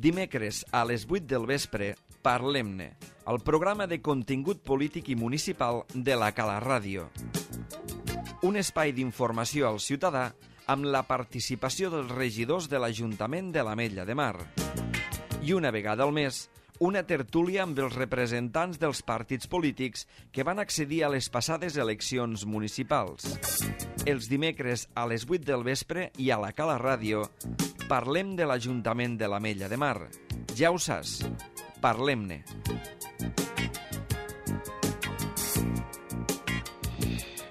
Dimecres a les 8 del vespre, Parlem-ne, el programa de contingut polític i municipal de la Cala Ràdio. Un espai d'informació al ciutadà amb la participació dels regidors de l'Ajuntament de l'Ametlla de Mar. I una vegada al mes, una tertúlia amb els representants dels partits polítics que van accedir a les passades eleccions municipals. Els dimecres a les 8 del vespre i a la Cala Ràdio parlem de l'Ajuntament de l'Ametlla de Mar. Ja ho saps, parlem-ne.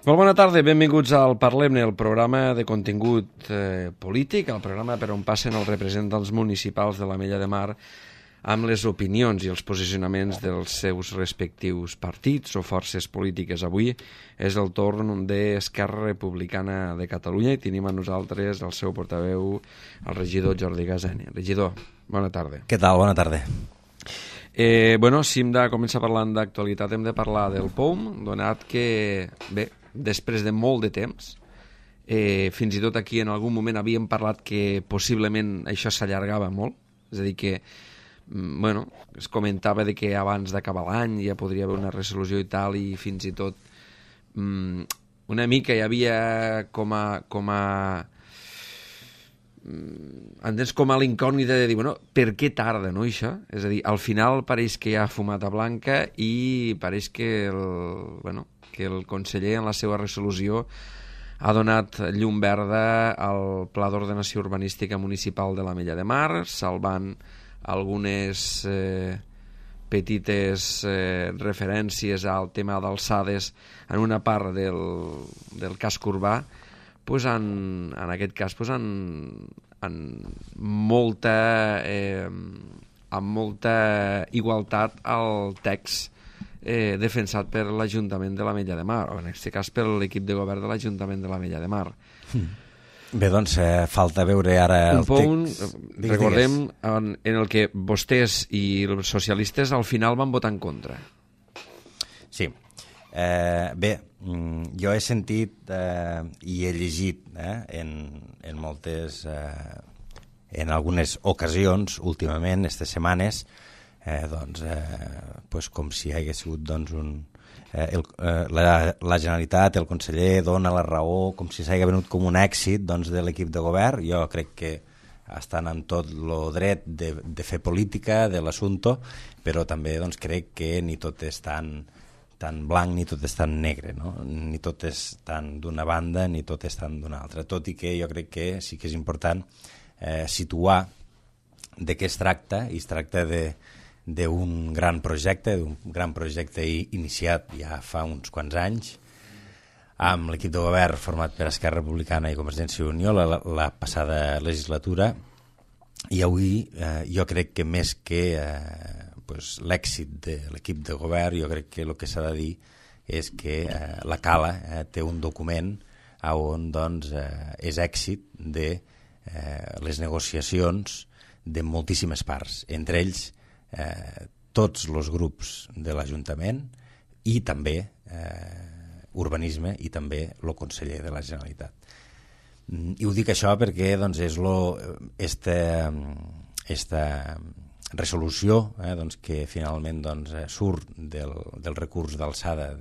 Molt bona tarda, benvinguts al Parlem-ne, el programa de contingut polític, el programa per on passen els representants municipals de l'Ametlla de Mar amb les opinions i els posicionaments dels seus respectius partits o forces polítiques. Avui és el torn d'Esquerra Republicana de Catalunya i tenim a nosaltres el seu portaveu, el regidor Jordi Gaseni. Regidor, bona tarda. Què tal? Bona tarda. Si hem de començar parlant d'actualitat, hem de parlar del POUM, donat que, bé, després de molt de temps, fins i tot aquí en algun moment havíem parlat que possiblement això s'allargava molt, és a dir que es comentava de que abans d'acabar l'any ja podria haver una resolució i tal, i fins i tot una mica hi havia com a l'incògnita de dir, per què tarda, no, això? És a dir, al final pareix que hi ha fumata blanca i pareix que el conseller en la seva resolució ha donat llum verda al Pla d'Ordenació Urbanística Municipal de l'Ametlla de Mar, salvant algunes petites referències al tema d'alçades en una part del casc urbà, en aquest cas amb molta igualtat al text defensat per l'Ajuntament de l'Ametlla de Mar, o en aquest cas per l'equip de govern de l'Ajuntament de l'Ametlla de Mar. Bé, doncs falta veure ara el text. Recordem, en el que vostès i els socialistes al final van votar en contra. Sí. Bé, jo he sentit i he llegit en moltes, en algunes ocasions últimament, aquestes setmanes, com si hagués sigut la Generalitat, el conseller dona la raó, com si s'hagi venut com un èxit de l'equip de govern. Jo crec que estan en tot el dret de fer política de l'assumpte, però també crec que ni tot és tan blanc ni tot és tan negre, no? Ni tot és tan d'una banda ni tot és tan d'una altra, tot i que jo crec que sí que és important situar de què es tracta, i es tracta d'un gran projecte, iniciat ja fa uns quants anys amb l'equip de govern format per Esquerra Republicana i Convergència i Unió la passada legislatura, i avui jo crec que més que l'èxit de l'equip de govern, jo crec que el que s'ha de dir és que la Cala té un document on és èxit de les negociacions de moltíssimes parts, entre ells tots els grups de l'Ajuntament i també urbanisme i també el conseller de la Generalitat. I ho dic això perquè esta resolució que finalment surt del recurs d'alçada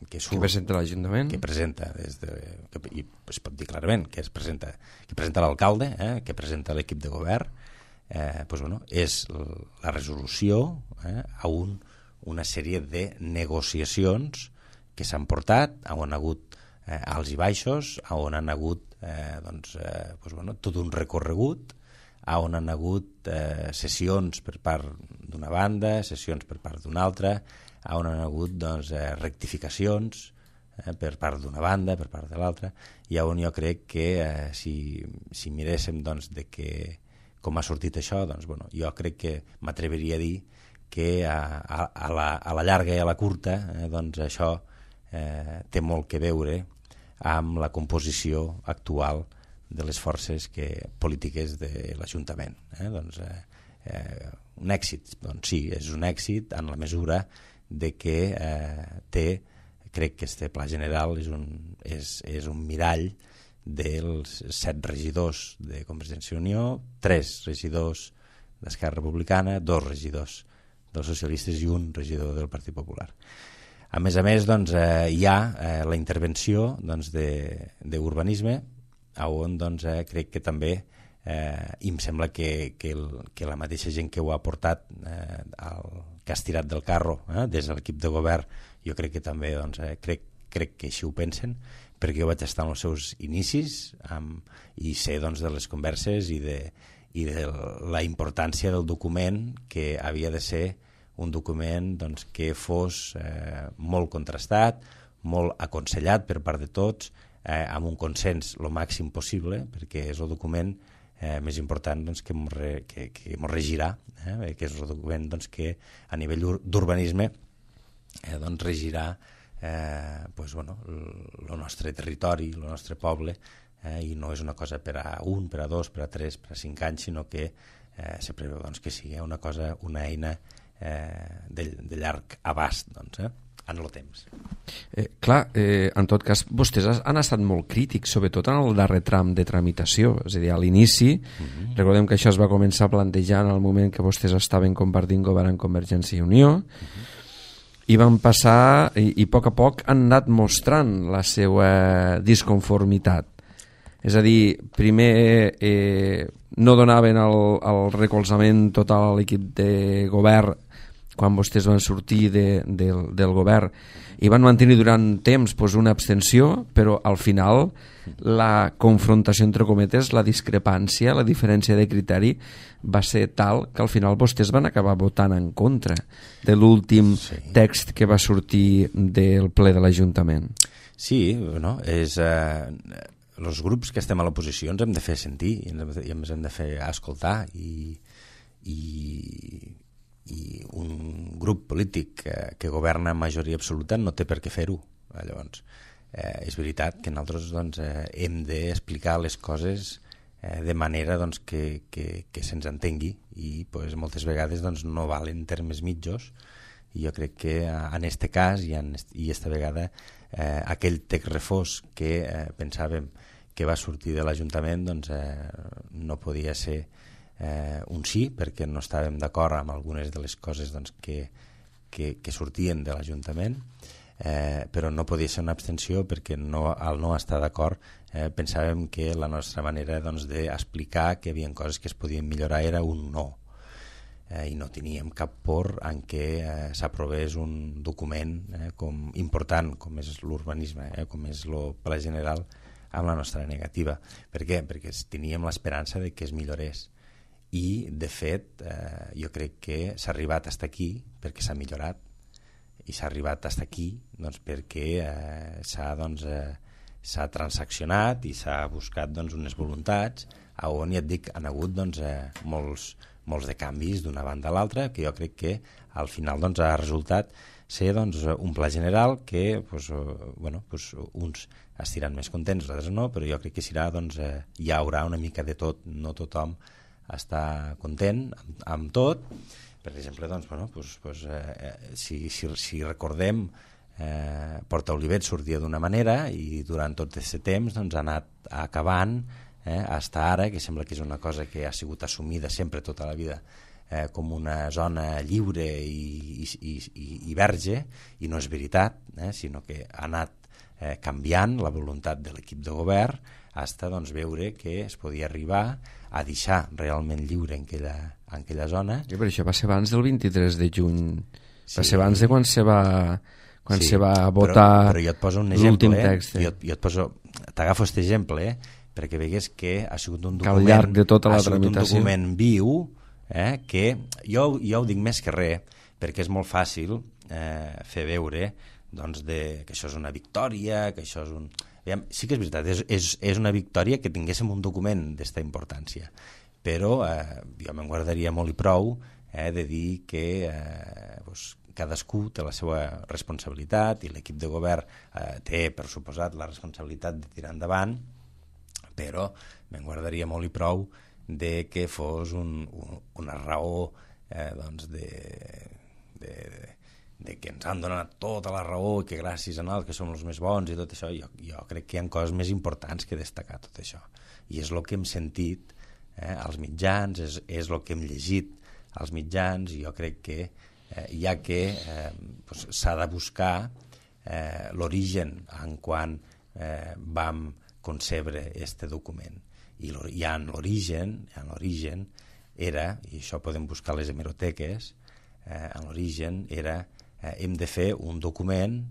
que presenta l'Ajuntament, que presenta i es pot dir clarament que presenta l'alcalde, que presenta l'equip de govern, és la resolució a una sèrie de negociacions que s'han portat, on ha hagut alts i baixos, on han hagut tot un recorregut, on han hagut sessions per part d'una banda, sessions per part d'una altra, on han hagut rectificacions per part d'una banda, per part de l'altra, i on jo crec que si miréssim com ha sortit això, jo crec que m'atreviria a dir que a la llarga i a la curta això té molt que veure amb la composició actual de les forces polítiques de l'Ajuntament. Un èxit, sí, és un èxit en la mesura de que crec que este pla general és un mirall dels 7 regidors de Convergència i Unió, 3 regidors d'Esquerra Republicana, 2 regidors dels socialistes i un regidor del Partit Popular. A més, doncs, hi ha la intervenció doncs, d'urbanisme, on doncs, crec que també i em sembla que la mateixa gent que ho ha portat, que ha estirat del carro des de l'equip de govern, jo crec que també doncs, crec que així ho pensen, perquè jo vaig estar en els seus inicis i sé doncs, de les converses i de la importància del document, que havia de ser un document doncs, que fos molt contrastat, molt aconsellat per part de tots, amb un consens el màxim possible, perquè és el document més important doncs, que ens regirà, que és el document doncs, que a nivell d'urbanisme doncs, regirà el nostre territori, el nostre poble, i no és una cosa per a 1, per a 2, per a 3, per a 5 anys, sinó que se preveu doncs, que sigui una eina de llarg abast doncs, en el temps. En tot cas, vostès han estat molt crítics, sobretot en el darrer tram de tramitació, és a dir, a l'inici. Recordem que això es va començar a plantejar en el moment que vostès estaven compartint govern amb Convergència i Unió, i van passar, i a poc han anat mostrant la seva disconformitat. És a dir, primer no donaven el recolzament total a l'equip de govern quan vostès van sortir del govern, i van mantenir durant temps una abstenció, però al final la confrontació entre cometes, la discrepància, la diferència de criteri va ser tal que al final vostès van acabar votant en contra de l'últim text que va sortir del ple de l'Ajuntament. Sí, els grups que estem a l'oposició ens hem de fer sentir i ens hem de fer escoltar, i un grup polític que governa en majoria absoluta no té per què fer-ho. Llavors, és veritat que nosaltres doncs, hem d'explicar les coses de manera doncs, que se'ns entengui, i doncs, moltes vegades doncs, no valen termes mitjos, i jo crec que en aquest cas i aquesta vegada aquell text refós que pensàvem que va sortir de l'Ajuntament doncs, no podia ser un sí, perquè no estàvem d'acord amb algunes de les coses doncs, que sortien de l'Ajuntament, però no podia ser una abstenció, perquè al no estar d'acord pensàvem que la nostra manera doncs, d'explicar que hi havia coses que es podien millorar era un no, i no teníem cap por en què s'aprovés un document important com és l'urbanisme, com és el pla general, amb la nostra negativa. Per què? Perquè teníem l'esperança de que es millorés, i de fet jo crec que s'ha arribat fins aquí perquè s'ha millorat, i s'ha arribat fins aquí doncs, perquè s'ha transaccionat i s'ha buscat doncs, unes voluntats on, ja et dic, han hagut doncs, molts de canvis d'una banda a l'altra, que jo crec que al final doncs, ha resultat ser doncs, un pla general que uns estiran més contents, altres no, però jo crec que serà, doncs, hi haurà una mica de tot, no tothom està content amb tot. Per exemple, doncs, si recordem, Porta Olivet sortia d'una manera i durant tot aquest temps doncs, ha anat acabant fins ara, que sembla que és una cosa que ha sigut assumida sempre tota la vida com una zona lliure i verge, i no és veritat, sinó que ha anat canviant la voluntat de l'equip de govern fins doncs, veure que es podia arribar a deixar realment lliure en aquella zona. Però això va ser abans del 23 de juny, va ser abans de quan se va votar però jo et poso un exemple, l'últim text. T'agafo aquest exemple, perquè vegués que ha sigut un document, al llarg de tota la tramitació, un document viu, que jo ho dic més que res, perquè és molt fàcil fer veure doncs, que això és una victòria, que això és un... Sí que és veritat, és una victòria que tinguéssim un document d'esta importància, però jo me'n guardaria molt i prou de dir que cadascú té la seva responsabilitat, i l'equip de govern té, per suposat, la responsabilitat de tirar endavant, però me'n guardaria molt i prou de que fos una raó doncs de que ens han donat tota la raó i que gràcies a nosaltres que som els més bons i tot això. Jo crec que hi ha coses més importants que destacar tot això, i és el que hem sentit als mitjans, és el que hem llegit als mitjans, i jo crec que s'ha de buscar l'origen en quan vam concebre este document. I en l'origen era, i això podem buscar a les hemeroteques, en l'origen era hem de fer un document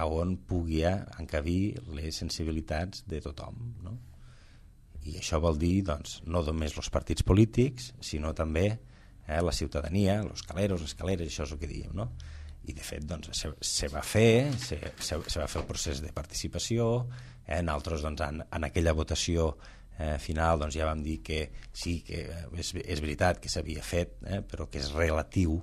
on pugui encabir les sensibilitats de tothom, no? I això vol dir, doncs, no només els partits polítics, sinó també la ciutadania, els caleros, les caleres, això és el que diem, no? I de fet, doncs, se va fer el procés de participació, nosaltres, doncs, en aquella votació final, doncs, ja vam dir que sí, que és veritat que s'havia fet, però que és relatiu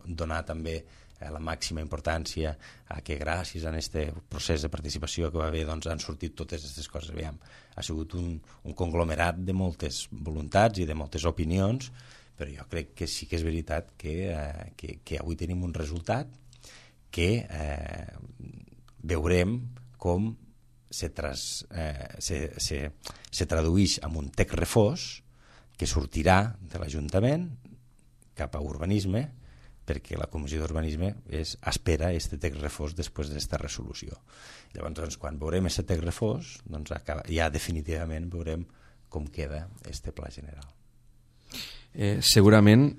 donar també la màxima importància a que gràcies a aquest procés de participació que va haver, doncs, han sortit totes aquestes coses. Aviam, ha sigut un conglomerat de moltes voluntats i de moltes opinions, però jo crec que sí que és veritat que avui tenim un resultat que veurem com se tradueix en un text refós que sortirà de l'Ajuntament cap a urbanisme, perquè la Comissió d'Urbanisme espera aquest text refós després d'aquesta resolució. Llavors, doncs, quan veurem aquest text refós, doncs, ja definitivament veurem com queda aquest pla general. Segurament,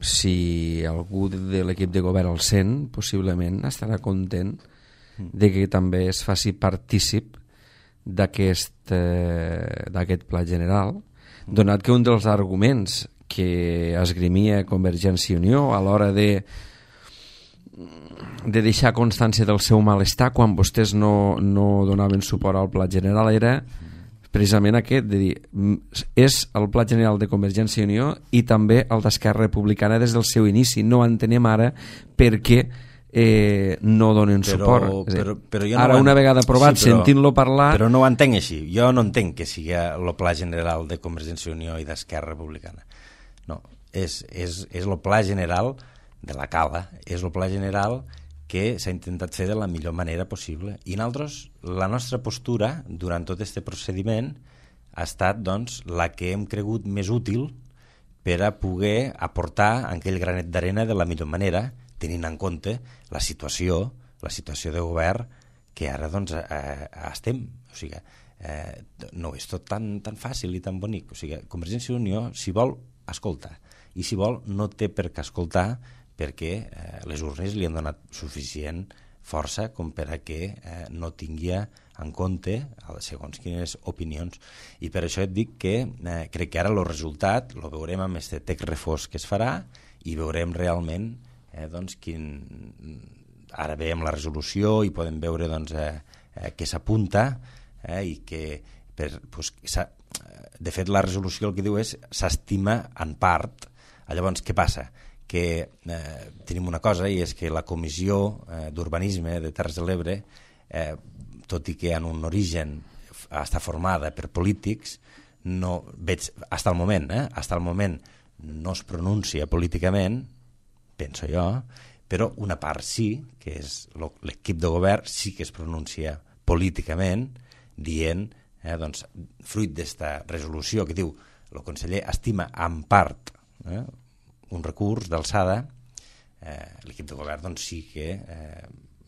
si algú de l'equip de govern el sent, possiblement estarà content de que també es faci partícip d'aquest pla general, donat que un dels arguments que esgrimia Convergència i Unió a l'hora de deixar constància del seu malestar quan vostès no donaven suport al pla general era precisament aquest, de dir, és el pla general de Convergència i Unió i també el d'Esquerra Republicana des del seu inici. No entenem ara per què no donen suport. Però jo ara, una vegada aprovat, sentint-lo parlar... Però no ho entenc així. Jo no entenc que sigui el pla general de Convergència i Unió i d'Esquerra Republicana. No, és el pla general de la cala, és el pla general que s'ha intentat fer de la millor manera possible. I nosaltres, la nostra postura durant tot aquest procediment ha estat, doncs, la que hem cregut més útil per a poder aportar aquell granet d'arena de la millor manera, tenint en compte la situació de govern que ara, doncs, estem. O sigui, no és tot tan fàcil i tan bonic. O sigui, Convergència i Unió, si vol, escolta, i si vol no té per què escoltar, perquè les urnes li han donat suficient força com per a que no tingui en compte segons quines opinions. I per això et dic que crec que ara el resultat el veurem amb aquest text refós que es farà i veurem realment doncs, ara veiem la resolució i podem veure, doncs, què s'apunta i que de fet la resolució el que diu és s'estima en part. Llavors, què passa? Que tenim una cosa, i és que la Comissió d'Urbanisme de Terres de l'Ebre, tot i que en un origen està formada per polítics, no veig, fins al moment no es pronuncia políticament, penso jo, però una part sí, que és l'equip de govern, sí que es pronuncia políticament, dient, doncs, fruit d'esta resolució que diu el conseller estima en part un recurs d'alçada, l'equip de govern, doncs, sí que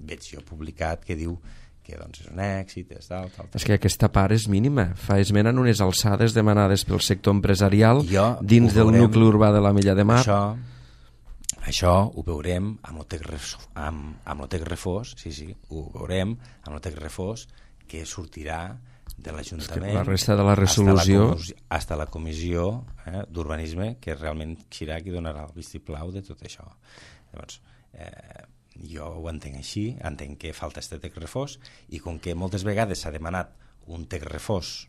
veig jo publicat que diu que, doncs, és un èxit, és tal. És que aquesta part és mínima. Fa esment en unes alçades demanades pel sector empresarial dins del nucli urbà de la Mella de Mar. Això ho veurem amb el text refós, sí, ho veurem amb el text refós que sortirà de l'Ajuntament, la resta de la resolució fins a la Comissió d'Urbanisme, que realment serà qui donarà el vistiplau de tot això. Llavors, jo ho entenc així, entenc que falta aquest text refós, i com que moltes vegades s'ha demanat un text refós,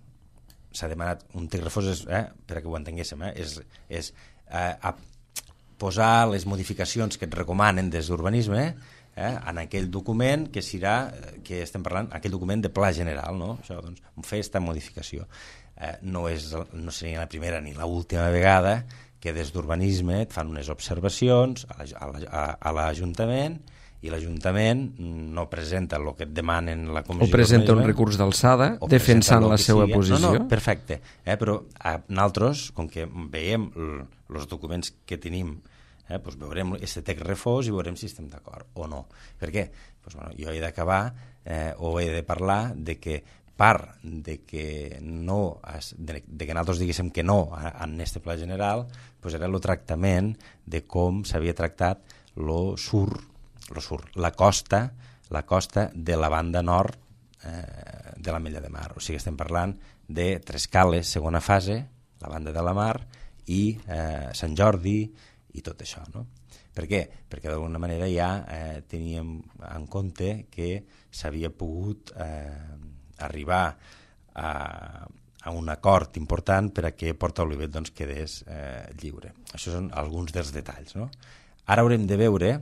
per a que ho entenguéssim, és posar les modificacions que et recomanen des d'Urbanisme en aquell document que estem parlant, aquell document de pla general, no? Això, doncs, fer aquesta modificació. No seria la primera ni l'última vegada que des d'Urbanisme et fan unes observacions a l'Ajuntament i l'Ajuntament no presenta el que et demanen la Comissió o presenta un recurs d'alçada defensant la seva posició. No, perfecte, però nosaltres, com que veiem els documents que tenim, doncs veurem aquest text refós i veurem si estem d'acord o no. Per què? Doncs, jo he d'acabar o he de parlar de que part de que nosaltres diguéssim que no en aquest pla general, doncs era el tractament de com s'havia tractat la costa de la banda nord de l'Ametlla de Mar. O sigui, estem parlant de Trescales, segona fase, la banda de la Mar, i Sant Jordi i tot això, no? Per què? Perquè d'alguna manera ja teníem en compte que s'havia pogut arribar a un acord important per a que Porta Olivet quedés lliure. Això són alguns dels detalls, no? Ara haurem de veure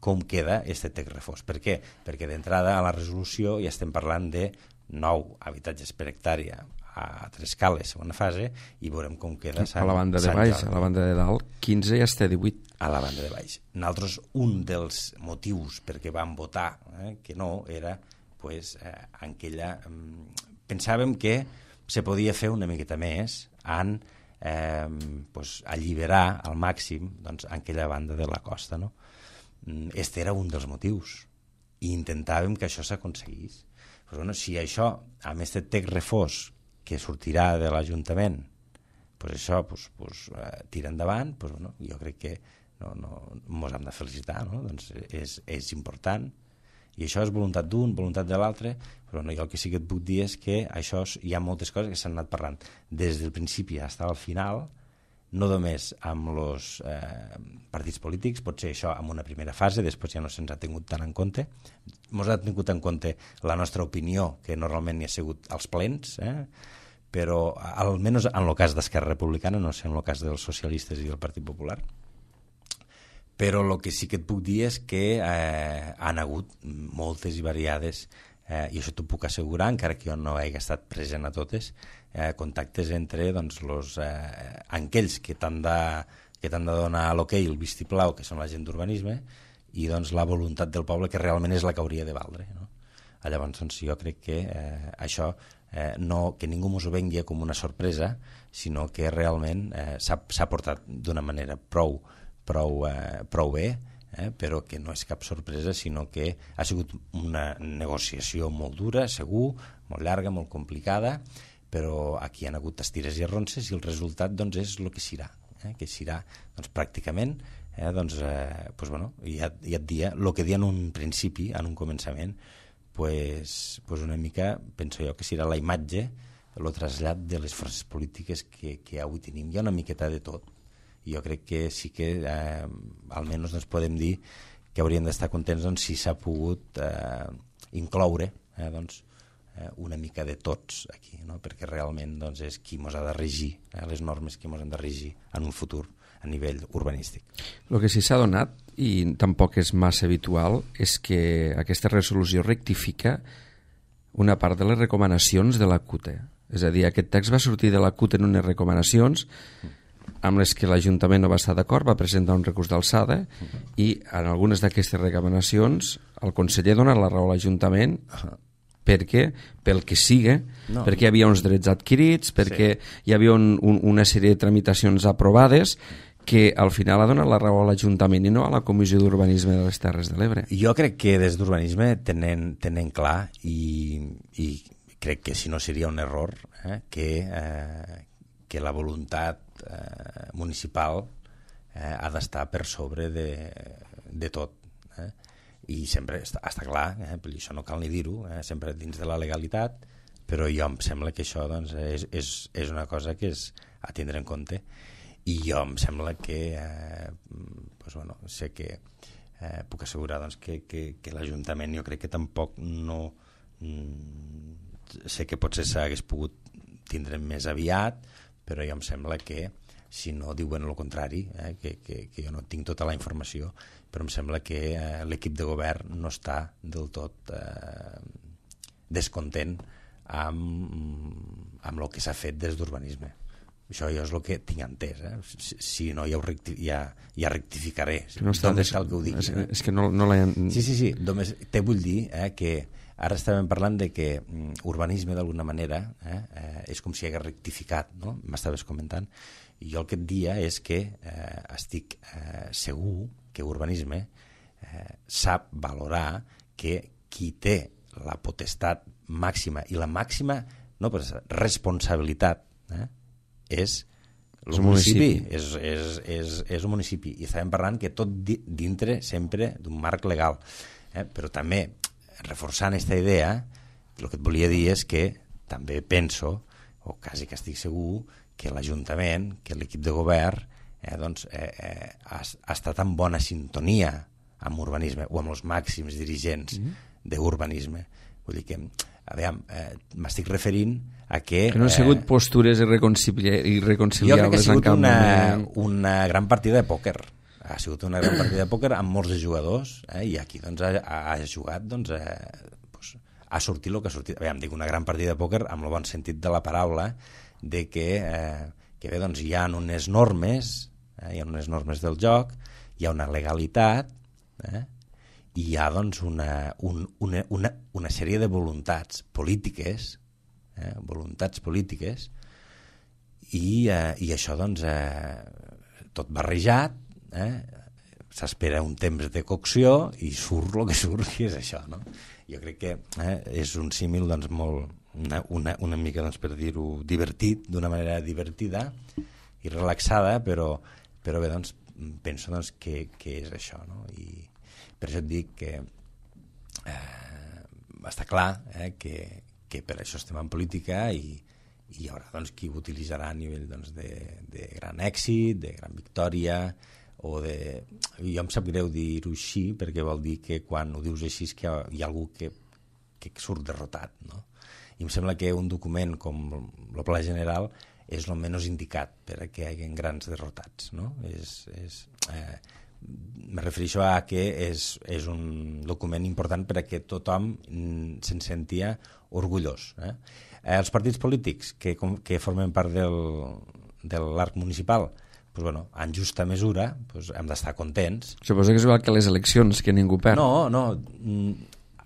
com queda aquest text refós. Per què? Perquè d'entrada a la resolució ja estem parlant de 9 habitatges per hectàrea a Trescales, segona fase, i veurem com queda a la banda de baix, a la banda de dalt 15 i ja està 18 a la banda de baix. Nosaltres, un dels motius perquè vam votar que no era en aquella... pensàvem que se podia fer una miqueta més en alliberar al màxim aquella banda de la costa, no? Este era un dels motius i intentàvem que això s'aconseguís. Però si això, amb aquest text refós que sortirà de l'Ajuntament, això tira endavant, jo crec que ens hem de felicitar, no? És important, i això és voluntat d'un, voluntat de l'altre, però jo el que sí que et puc dir és que això hi ha moltes coses que s'han anat parlant des del principi fins al final, no només amb els partits polítics, potser això en una primera fase, després ja no se'ns ha tingut tant en compte, ens ha tingut en compte la nostra opinió, que normalment hi ha sigut als plens, però almenys en el cas d'Esquerra Republicana, no sé en el cas dels socialistes i del Partit Popular, però el que sí que et puc dir és que han hagut moltes i variades, i això t'ho puc assegurar, encara que jo no hagi estat present a totes, contactes entre aquells que t'han de donar l'hoquei, el vistiplau, que són la gent d'urbanisme, i la voluntat del poble, que realment és la que hauria de valdre, no? Llavors, jo crec que això, que ningú ens ho vengui com una sorpresa, sinó que realment s'ha portat d'una manera prou bé, però que no és cap sorpresa, sinó que ha sigut una negociació molt dura, segur, molt llarga, molt complicada, però aquí hi ha hagut estires i arronses i el resultat és el que serà, que serà pràcticament ja et dia el que dia en un principi, en un començament, una mica, penso jo, que serà la imatge, el trasllat de les forces polítiques que avui tenim. Hi ha una miqueta de tot. I jo crec que sí que almenys podem dir que hauríem d'estar contents si s'ha pogut incloure una mica de tots aquí, no? Perquè realment és qui ens ha de regir, les normes que ens han de regir en un futur a nivell urbanístic. El que sí s'ha donat, i tampoc és massa habitual, és que aquesta resolució rectifica una part de les recomanacions de la CUTE. És a dir, aquest text va sortir de la CUTE en unes recomanacions amb les que l'Ajuntament no va estar d'acord, va presentar un recurs d'alçada i en algunes d'aquestes recomanacions el conseller dona la raó a l'Ajuntament perquè, pel que siga, perquè hi havia uns drets adquirits, perquè hi havia una sèrie de tramitacions aprovades que al final ha donat la raó a l'Ajuntament i no a la Comissió d'Urbanisme de les Terres de l'Ebre. Jo crec que des d'Urbanisme tenen clar i crec que si no seria un error que la voluntat municipal ha d'estar per sobre de tot, i sempre està clar, això no cal ni dir-ho, sempre dins de la legalitat, però jo em sembla que això és una cosa que és a tindre en compte, i jo em sembla que sé que puc assegurar que l'Ajuntament, jo crec que tampoc no sé que potser s'hagués pogut tindre més aviat, però jo em sembla que si no diuen el contrari, que jo no tinc tota la informació, però em sembla que l'equip de govern no està del tot descontent amb el que s'ha fet des d'Urbanisme. Això jo és el que tinc entès, si no ja rectificaré, només cal que ho digui. És que no l'he... Sí, només te vull dir que ara estàvem parlant de que urbanisme d'alguna manera és com si hagués rectificat, no? M'estaves comentant, i jo el que et dia és que estic segur que urbanisme sap valorar que qui té la potestat màxima i la màxima responsabilitat és el municipi, és un municipi, i estàvem parlant que tot dintre sempre d'un marc legal, però també reforçant aquesta idea, el que et volia dir és que també penso, o quasi que estic segur, que l'Ajuntament, que l'equip de govern ha estat en bona sintonia amb urbanisme o amb els màxims dirigents d'urbanisme. Vull dir que m'estic referint a que no han sigut postures irreconciliables. Jo crec que ha sigut una gran partida de pòquer. Ha sigut una gran partida de pòquer amb molts de jugadors, i aquí ha jugat, ha sortit el que ha sortit. Dic una gran partida de pòquer amb el bon sentit de la paraula, de que bé, hi ha unes normes, del joc, hi ha una legalitat, i hi ha una sèrie de voluntats polítiques, i això tot barrejat, s'espera un temps de cocció i surt el que surt, i és això, no? Jo crec que és un símil molt, una mica, per dir-ho, divertit, d'una manera divertida i relaxada, però bé, penso que és això, no? I per això et dic que està clar que per això estem en política, i hi haurà qui ho utilitzarà a nivell de gran èxit, de gran victòria, o de... Jo em sap greu dir-ho així, perquè vol dir que quan ho dius així és que hi ha algú que surt derrotat, no? I em sembla que un document com el Pla General és el menys indicat per a que hi hagi grans derrotats, no? Me refereixo a que és un document important per a que tothom se'n sentia orgullós. Els partits polítics que formen part de l'arc municipal, en justa mesura hem d'estar contents. Suposo que és igual que les eleccions, que ningú perd. No,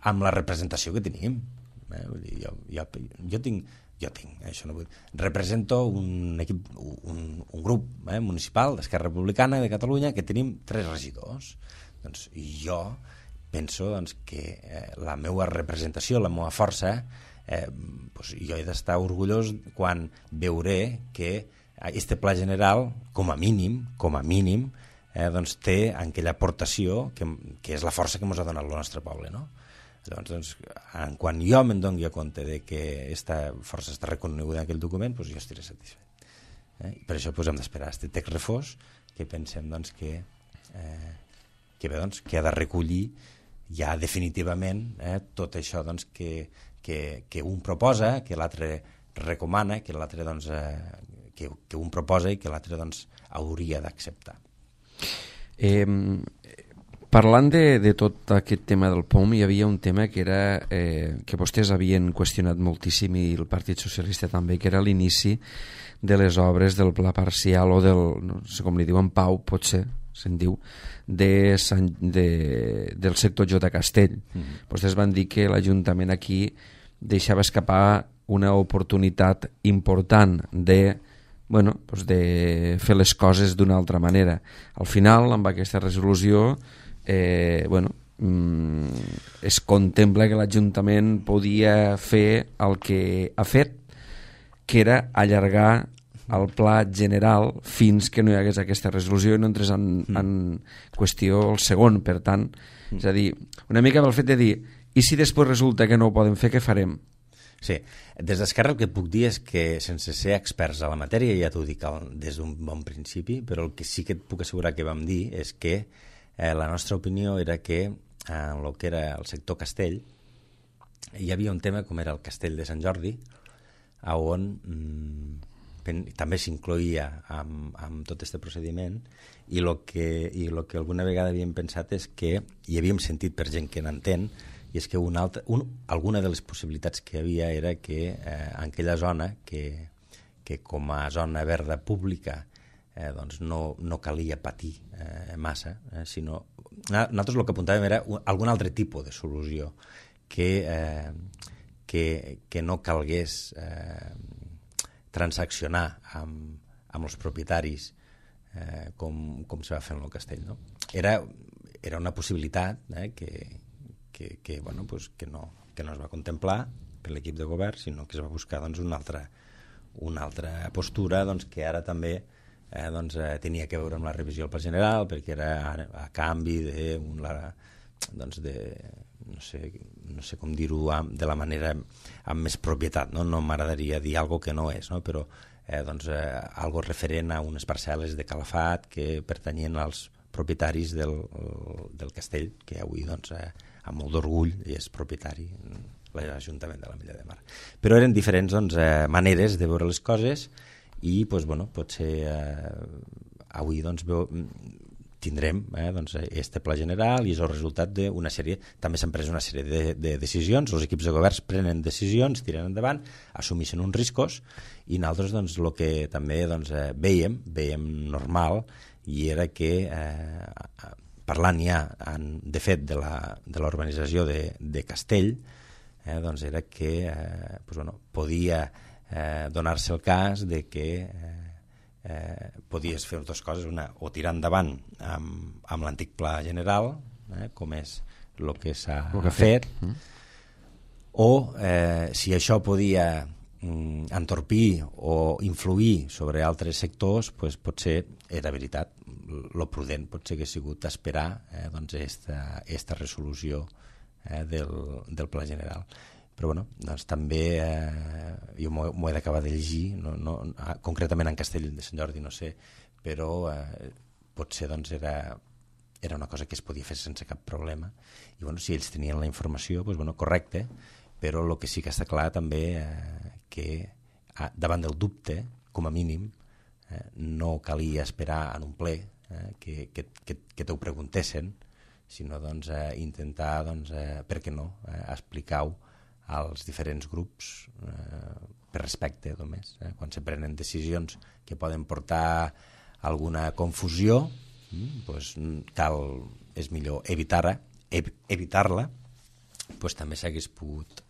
amb la representació que tenim. Jo tinc, això no vull... Represento un equip, un grup municipal d'Esquerra Republicana de Catalunya que tenim 3 regidors. I jo penso que la meva representació, la meva força, jo he d'estar orgullós quan veuré que aquest Pla General, com a mínim, té aquella aportació que és la força que ens ha donat el nostre poble, no? Llavors, quan jo me'n doni compte de que aquesta força està reconeguda en aquell document, jo estaré satisfet. I per això hem d'esperar aquest text refós, que pensem que ha de recollir ja definitivament tot això que un proposa, que l'altre recomana, que l'altre que un proposa i que l'altre hauria d'acceptar. Parlant de tot aquest tema del POM, hi havia un tema que era que vostès havien qüestionat moltíssim, i el Partit Socialista també, que era l'inici de les obres del pla parcial o del, no sé com li diuen, Pau, potser se'n diu, del sector J. Castell. Vostès van dir que l'Ajuntament aquí deixava escapar una oportunitat important de fer les coses d'una altra manera. Al final, amb aquesta resolució, es contempla que l'Ajuntament podia fer el que ha fet, que era allargar el pla general fins que no hi hagués aquesta resolució i no entrés en qüestió el segon. Per tant, és a dir, una mica pel fet de dir, i si després resulta que no ho poden fer, què farem? Sí, des d'Esquerra el que puc dir és que, sense ser experts a la matèria, ja t'ho dic des d'un bon principi, però el que sí que et puc assegurar que vam dir és que la nostra opinió era que en el que era el sector Castell hi havia un tema com era el Castell de Sant Jordi, on també s'incloïa amb tot aquest procediment, i el que alguna vegada havíem pensat és que, i havíem sentit per gent que n'entén, i és que alguna de les possibilitats que hi havia era que en aquella zona que que com a zona verda pública doncs no calia patir massa, sinó nosaltres el que apuntàvem era algun altre tipus de solució que no calgués transaccionar amb els propietaris com se va fer en el castell, no? Era una possibilitat que no es va contemplar per l'equip de govern, sinó que es va buscar una altra postura que ara també tenia que veure amb la revisió del Pla General, perquè era a canvi de no sé com dir-ho de la manera amb més propietat, no m'agradaria dir alguna cosa que no és, no? Però algo referent a unes parcel·les de Calafat que pertanyien als propietaris del castell, que avui amb molt d'orgull és propietari l'Ajuntament de l'Ametlla de Mar. Però eren diferents maneres de veure les coses i potser avui tindrem este pla general i és el resultat d'una sèrie, també s'han pres una sèrie de decisions, els equips de governs prenen decisions, tiren endavant, assumeixen uns riscos i nosaltres el que també veiem normal i era que parlant ja de fet de la urbanització de Castell, era que podia donar-se el cas de que podies fer dues coses, una, o tirar endavant amb l'antic pla general, com és el que s'ha fet, o si això podia entorpir o influir sobre altres sectors, potser era veritat. Lo prudent potser que ha sigut esperar esta resolució del pla general. Però també jo m'ho he d'acabar de llegir, concretament en Castell de Sant Jordi no sé, però potser era una cosa que es podia fer sense cap problema i si ells tenien la informació, correcte, però el que sí que està clar també que davant del dubte, com a mínim, no calia esperar en un ple que t'ho preguntessin, sinó intentar, per què no, explicar-ho als diferents grups per respecte només. Quan se prenen decisions que poden portar alguna confusió, és millor evitar-la, també s'hagués pogut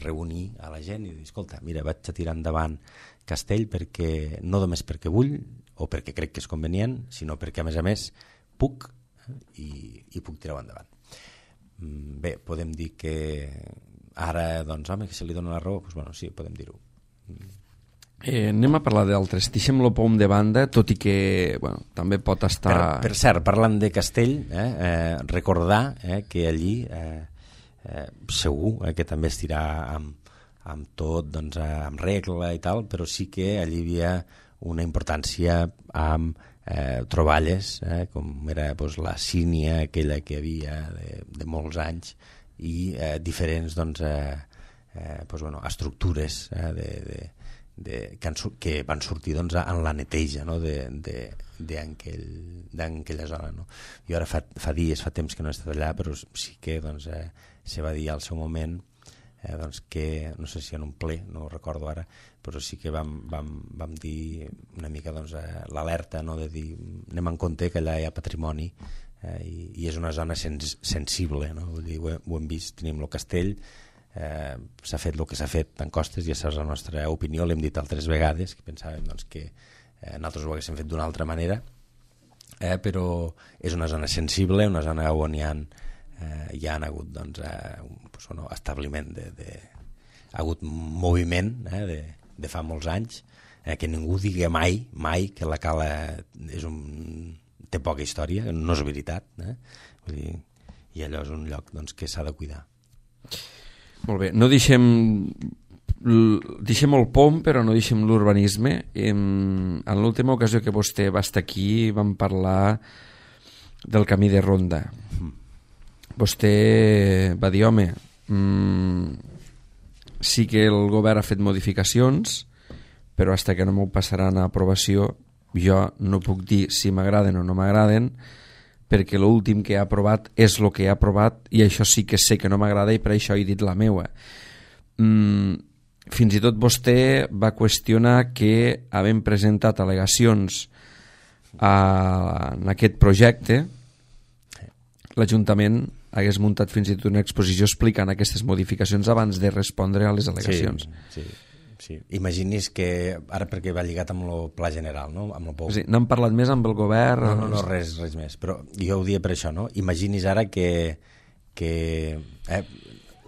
reunir a la gent i dir, escolta, mira, vaig a tirar endavant Castell no només perquè vull o perquè crec que és convenient, sinó perquè a més puc i puc tirar-ho endavant. Bé, podem dir que ara, que se li dona la raó, sí, podem dir-ho. Anem a parlar d'altres. Deixem-lo pom de banda, tot i que també pot estar... Per cert, parlant de Castell, recordar que allí segur que també es dirà amb tot, amb regla i tal, però sí que allí hi havia una importància amb troballes, com era la sínia aquella que hi havia de molts anys, i diferents estructures que van sortir en la neteja d'aquella zona. Jo ara fa temps que no he estat allà, però sí que se va dir al seu moment que, no sé si en un ple, no ho recordo ara, però sí que vam dir una mica l'alerta de dir anem en compte que allà hi ha patrimoni i és una zona sensible, no? Vull dir, ho hem vist, tenim el castell, s'ha fet el que s'ha fet en Costes i aquesta és la nostra opinió, l'hem dit altres vegades, que pensàvem que nosaltres ho haguéssim fet d'una altra manera, però és una zona sensible, una zona on hi ha hagut establiment, ha hagut moviment de fa molts anys, que ningú digui mai que la Cala té poca història, no és veritat, vull dir, i allò és un lloc que s'ha de cuidar. Molt bé, no deixem el POM, però no deixem l'urbanisme. En l'última ocasió que vostè va estar aquí vam parlar del camí de ronda. Vostè va dir, home, sí que el govern ha fet modificacions, però fins que no m'ho passaran a aprovació jo no puc dir si m'agraden o no m'agraden, perquè l'últim que ha aprovat és el que ha aprovat i això sí que sé que no m'agrada i per això he dit la meua. fins i tot vostè va qüestionar que havent presentat al·legacions en aquest projecte, l'Ajuntament hagués muntat fins i tot una exposició explicant aquestes modificacions abans de respondre a les al·legacions. Sí. Imagini's que, ara perquè va lligat amb el Pla General, no? Amb sí, n'han parlat més amb el govern? No, res més, però jo ho dia per això, no? Imagini's ara que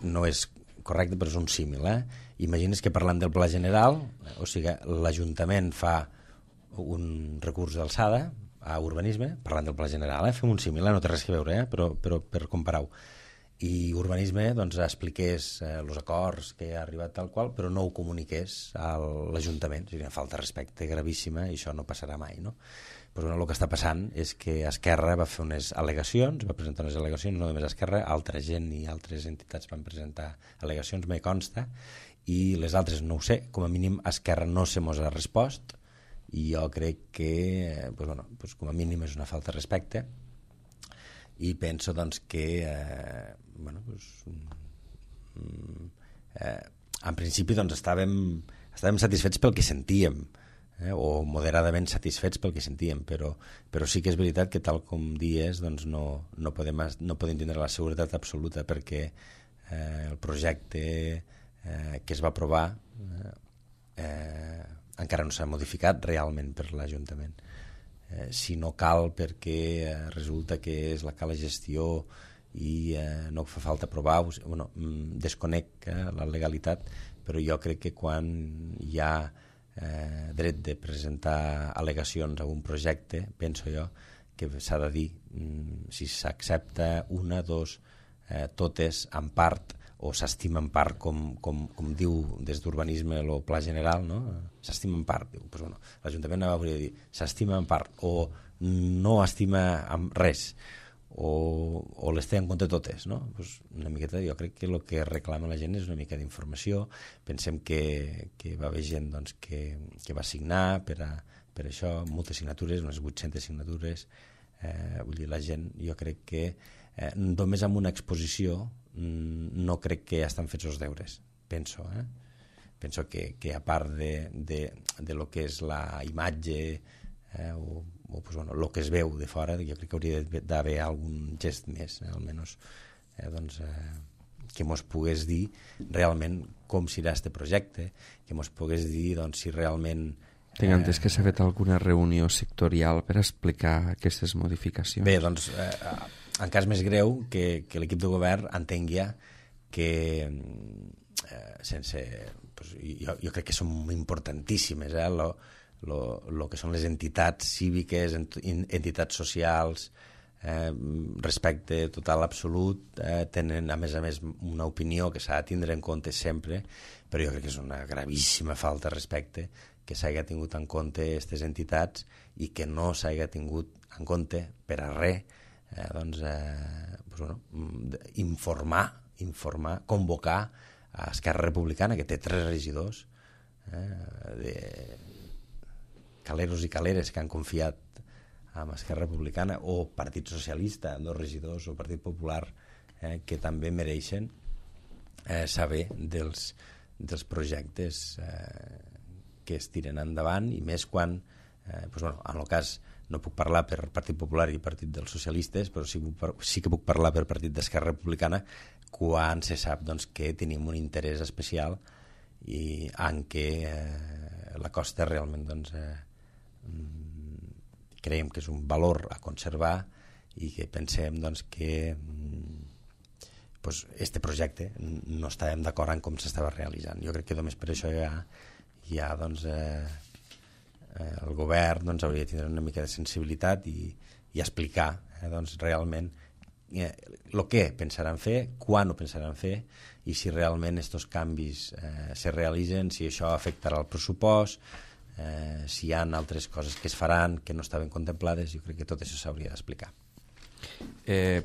no és correcte, però és un símil, Imagini's que parlant del Pla General, o sigui, l'Ajuntament fa un recurs d'alçada a urbanisme, parlant del Pla General, fem un símil, no té res a veure, però per comparar-ho. I urbanisme doncs, expliqués els acords que ha arribat tal qual, però no ho comuniqués a l'Ajuntament. És una falta de respecte gravíssima i això no passarà mai, no? Pues, el que està passant és que Esquerra va fer unes al·legacions, va presentar unes al·legacions, no només Esquerra, altra gent i altres entitats van presentar al·legacions, me consta, i les altres no ho sé, com a mínim Esquerra no se mos ha respost, i jo crec que com a mínim és una falta de respecte, i penso doncs, que en principi doncs, estàvem satisfets pel que sentíem, o moderadament satisfets pel que sentíem, però sí que és veritat que tal com dies doncs, no podem tindre la seguretat absoluta perquè el projecte que es va aprovar encara no s'ha modificat realment per l'Ajuntament. Si no cal perquè resulta que és la gestió i no fa falta aprovar, desconec la legalitat, però jo crec que quan hi ha dret de presentar al·legacions a un projecte, penso jo que s'ha de dir si s'accepta una, dos, totes en part o s'estima en part, com diu des d'urbanisme el Pla General, no? S'estima en part, diu, pues l'Ajuntament hauria de dir s'estima en part, o no estima res, o les té en compte totes, no? Pues una miqueta, jo crec que el que reclama la gent és una mica d'informació. Pensem que va haver gent doncs, que va signar per això, moltes signatures, unes 800 signatures, vull dir, la gent, jo crec que només amb una exposició no crec que estan fets els deures, penso, penso que a part de lo que és la imatge o el que es veu de fora, jo crec que hauria d'haver algun gest més, almenys que mos pogués dir realment com serà este projecte, que mos pogués dir doncs, si realment tinc entès que s'ha fet alguna reunió sectorial per explicar aquestes modificacions. Bé, doncs en cas més greu que l'equip de govern entengui que sense jo crec que són importantíssimes lo que són les entitats cíviques, entitats socials, respecte total absolut, tenen a més una opinió que s'ha de tindre en compte sempre, però jo crec que és una gravíssima falta de respecte que s'hagi tingut en compte aquestes entitats i que no s'hagi tingut en compte per a res informar, convocar a Esquerra Republicana, que té 3 regidors de caleros i caleres que han confiat en Esquerra Republicana, o Partit Socialista, 2 regidors, o Partit Popular, que també mereixen saber dels projectes que es tiren endavant, i més quan en el cas no puc parlar per Partit Popular i Partit dels Socialistes, però sí que puc parlar per Partit d'Esquerra Republicana quan se sap doncs, que tenim un interès especial i en què la costa realment doncs, creiem que és un valor a conservar i que pensem doncs, que este projecte no estàvem d'acord en com s'estava realitzant. Jo crec que només per això ja doncs, el govern doncs, hauria de tenir una mica de sensibilitat i explicar doncs, realment el que pensaran fer, quan ho pensaran fer i si realment aquests canvis se realitzen, si això afectarà el pressupost, si hi ha altres coses que es faran que no estaven contemplades. Jo crec que tot això s'hauria d'explicar.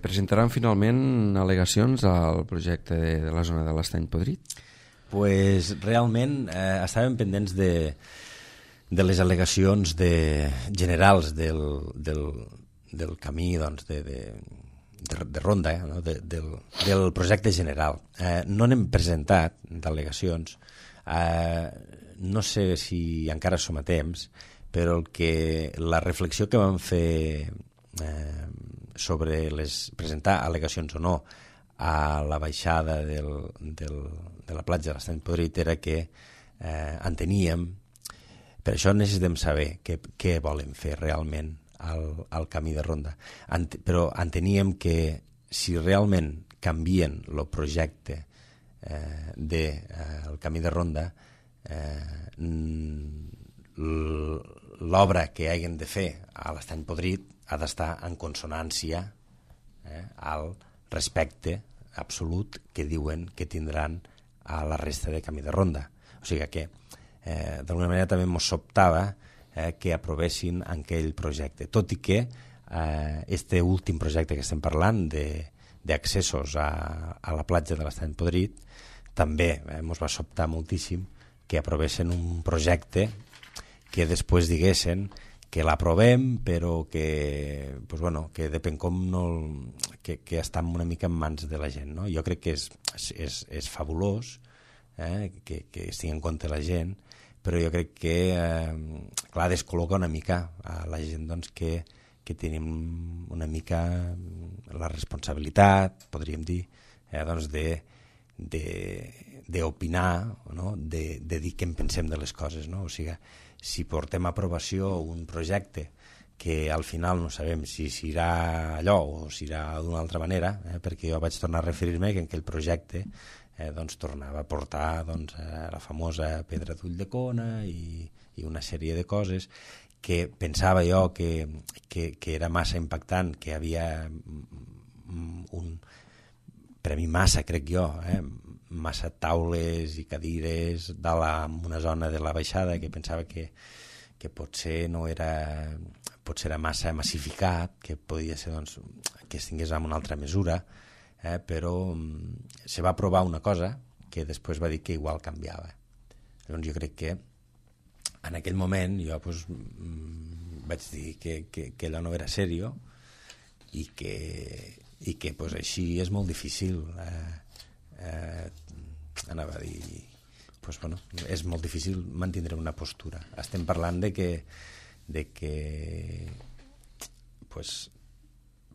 Presentaran finalment al·legacions al projecte de la zona de l'Estany Podrit? Pues realment estàvem pendents de les al·legacions generals del camí doncs, de ronda, no? del projecte general. No n'hem presentat d'al·legacions No sé si encara som a temps, però la reflexió que vam fer sobre presentar al·legacions o no a la baixada de la platja de l'Estany Podrit era que enteníem, per això necessitem saber què volen fer realment al camí de ronda, però enteníem que si realment canvien el projecte del camí de ronda, l'obra que hagin de fer a l'Estany Podrit ha d'estar en consonància al respecte absolut que diuen que tindran a la resta de camí de ronda. O sigui que d'alguna manera també ens sobtava que aprovessin aquell projecte, tot i que este últim projecte que estem parlant d'accessos a la platja de l'Estany Podrit també ens va sobtar moltíssim que aprovessin un projecte que després diguessin que l'aprovem però que depèn com que està una mica en mans de la gent, no? Jo crec que és fabulós que es tingui en compte la gent, però jo crec que clar, descol·loca una mica a la gent doncs, que tenim una mica la responsabilitat, podríem dir, doncs d'opinar, no? de dir què en pensem de les coses, no? O sigui, si portem a aprovació un projecte que al final no sabem si serà allò o serà d'una altra manera, perquè jo vaig tornar a referir-me que en aquell projecte doncs tornava a portar la famosa pedra d'ull de cona i una sèrie de coses que pensava jo que era massa impactant, que havia per a mi massa, crec jo, massa taules i cadires en una zona de la baixada que pensava que potser no era, potser era massa massificat, que podia ser doncs, que es tingués amb una altra mesura, però se va aprovar una cosa que després va dir que igual canviava. Llavors jo crec que en aquell moment jo vaig dir que allò no era seriós i que així és molt difícil anava a dir és molt difícil mantenir una postura. Estem parlant de que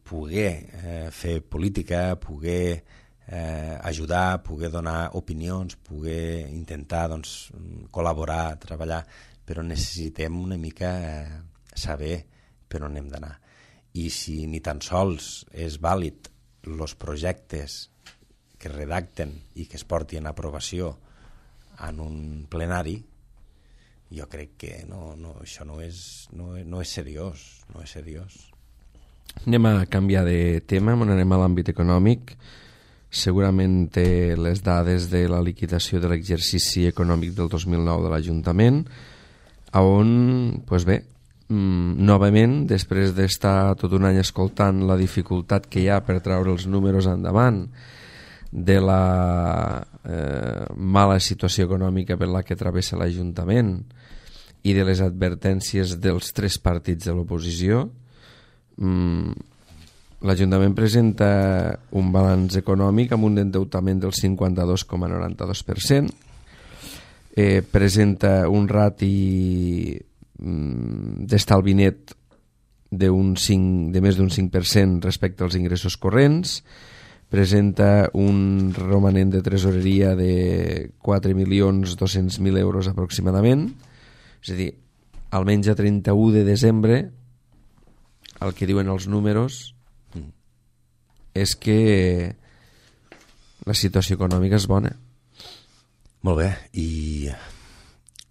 poder fer política, poder ajudar, poder donar opinions, poder intentar col·laborar, treballar, però necessitem una mica saber per on hem d'anar. I si ni tan sols és vàlid els projectes que redacten i que es portin a aprovació en un plenari, jo crec que això no és seriós, no és seriós. Anem a canviar de tema, anem a l'àmbit econòmic. Segurament té les dades de la liquidació de l'exercici econòmic del 2009 de l'Ajuntament, on, novament, després d'estar tot un any escoltant la dificultat que hi ha per treure els números endavant, de la mala situació econòmica per la que travessa l'Ajuntament i de les advertències dels tres partits de l'oposició, l'Ajuntament presenta un balanç econòmic amb un endeutament del 52,92%, presenta un rati d'estalvi net de més d'un 5% respecte als ingressos corrents, presenta un romanent de tresoreria de 4.200.000 euros aproximadament, és a dir, almenys a 31 de desembre el que diuen els números és que la situació econòmica és bona. Molt bé, i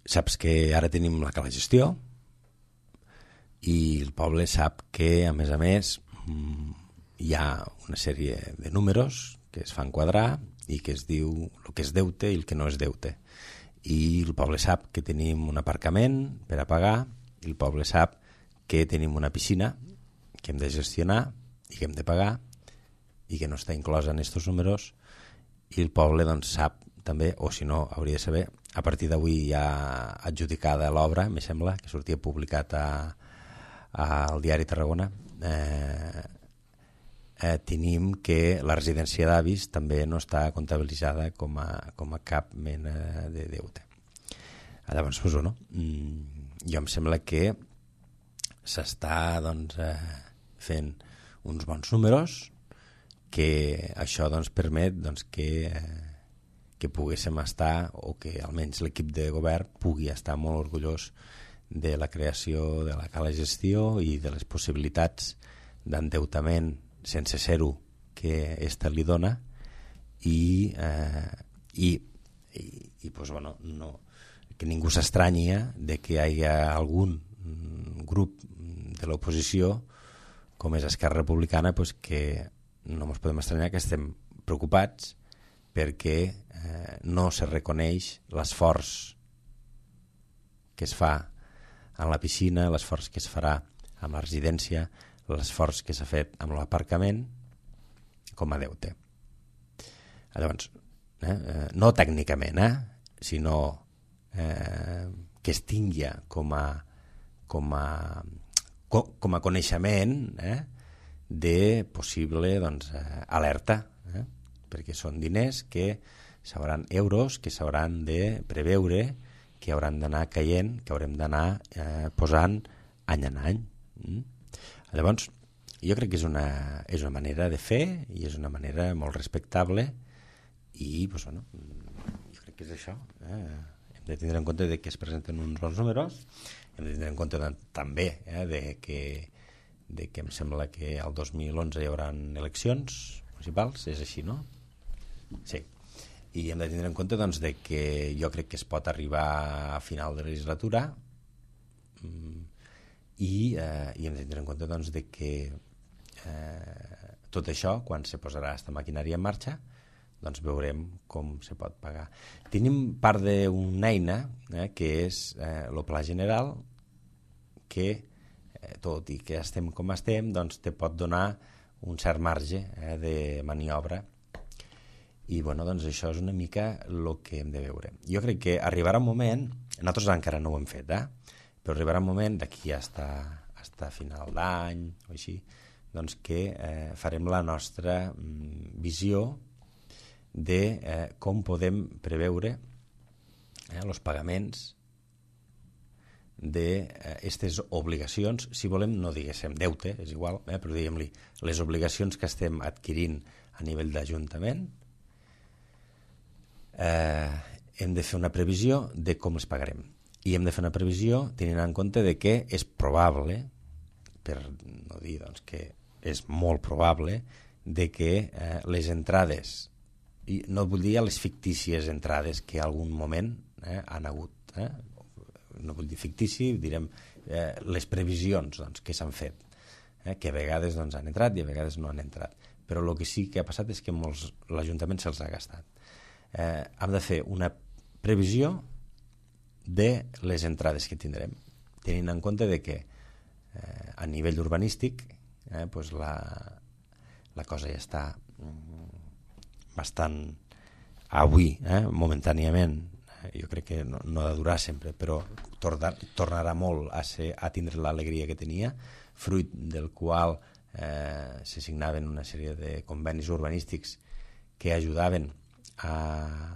saps que ara tenim la cala gestió i el poble sap que, a més, hi ha una sèrie de números que es fan quadrar i que es diu el que és deute i el que no és deute. I el poble sap que tenim un aparcament per a pagar, i el poble sap que tenim una piscina que hem de gestionar i que hem de pagar i que no està inclosa en aquests números, i el poble sap també, o si no hauria de saber, a partir d'avui ja adjudicada l'obra, me sembla, que sortia publicat al diari Tarragona, tenim que la residència d'avis també no està comptabilitzada com a cap mena de deute. Llavors, pues, bueno, jo em sembla que s'està doncs, fent uns bons números, que això doncs, permet doncs, que poguéssim estar, o que almenys l'equip de govern pugui estar molt orgullós de la creació de la Cala Gestió i de les possibilitats d'endeutament sense ser-ho que esta li dona i pues, bueno, no, que ningú s'estranyi de que hi hagi algun grup de l'oposició com és Esquerra Republicana pues, que no ens podem estranyar que estem preocupats perquè no se reconeix l'esforç que es fa en la piscina, l'esforç que es farà amb la residència, l'esforç que s'ha fet amb l'aparcament com a deute. Llavors, no tècnicament, sinó que es tingui com a coneixement de possible doncs, alerta, perquè són diners que s'hauran euros, que s'hauran de preveure, que hauran d'anar caient, que haurem d'anar posant any en any. Llavors, jo crec que és una manera de fer i és una manera molt respectable i pues, bueno, jo crec que és això. Hem de tindre en compte de que es presenten uns bons números, hem de tindre en compte també de que em sembla que el 2011 hi haurà eleccions municipals, és així, no? Sí. I hem de tindre en compte doncs, de que jo crec que es pot arribar a final de legislatura i hem de tindre en compte doncs, de que tot això, quan se posarà aquesta maquinària en marxa, doncs veurem com se pot pagar. Tenim part d'una eina que és el Pla General, que tot i que estem com estem, doncs te pot donar un cert marge de maniobra i bueno, doncs això és una mica el que hem de veure. Jo crec que arribarà un moment, nosaltres encara no ho hem fet, però arribarà un moment d'aquí fins a final d'any o així, doncs que farem la nostra visió de com podem preveure els pagaments d'aquestes obligacions, si volem no diguéssim deute, és igual, però diguem-li les obligacions que estem adquirint a nivell d'Ajuntament. Hem de fer una previsió de com les pagarem i hem de fer una previsió tenint en compte de que és probable, per no dir doncs, que és molt probable, de que les entrades, i no vull dir les fictícies entrades que algun moment han hagut, no vull dir fictici, direm les previsions doncs, que s'han fet, que a vegades doncs, han entrat i a vegades no han entrat, però el que sí que ha passat és que l'Ajuntament se'ls ha gastat. Hem de fer una previsió de les entrades que tindrem, tenint en compte de que a nivell urbanístic pues la cosa ja està bastant avui, momentàniament, jo crec que no ha de durar sempre, però tornarà molt a tindre l'alegria que tenia, fruit del qual se signaven una sèrie de convenis urbanístics que ajudaven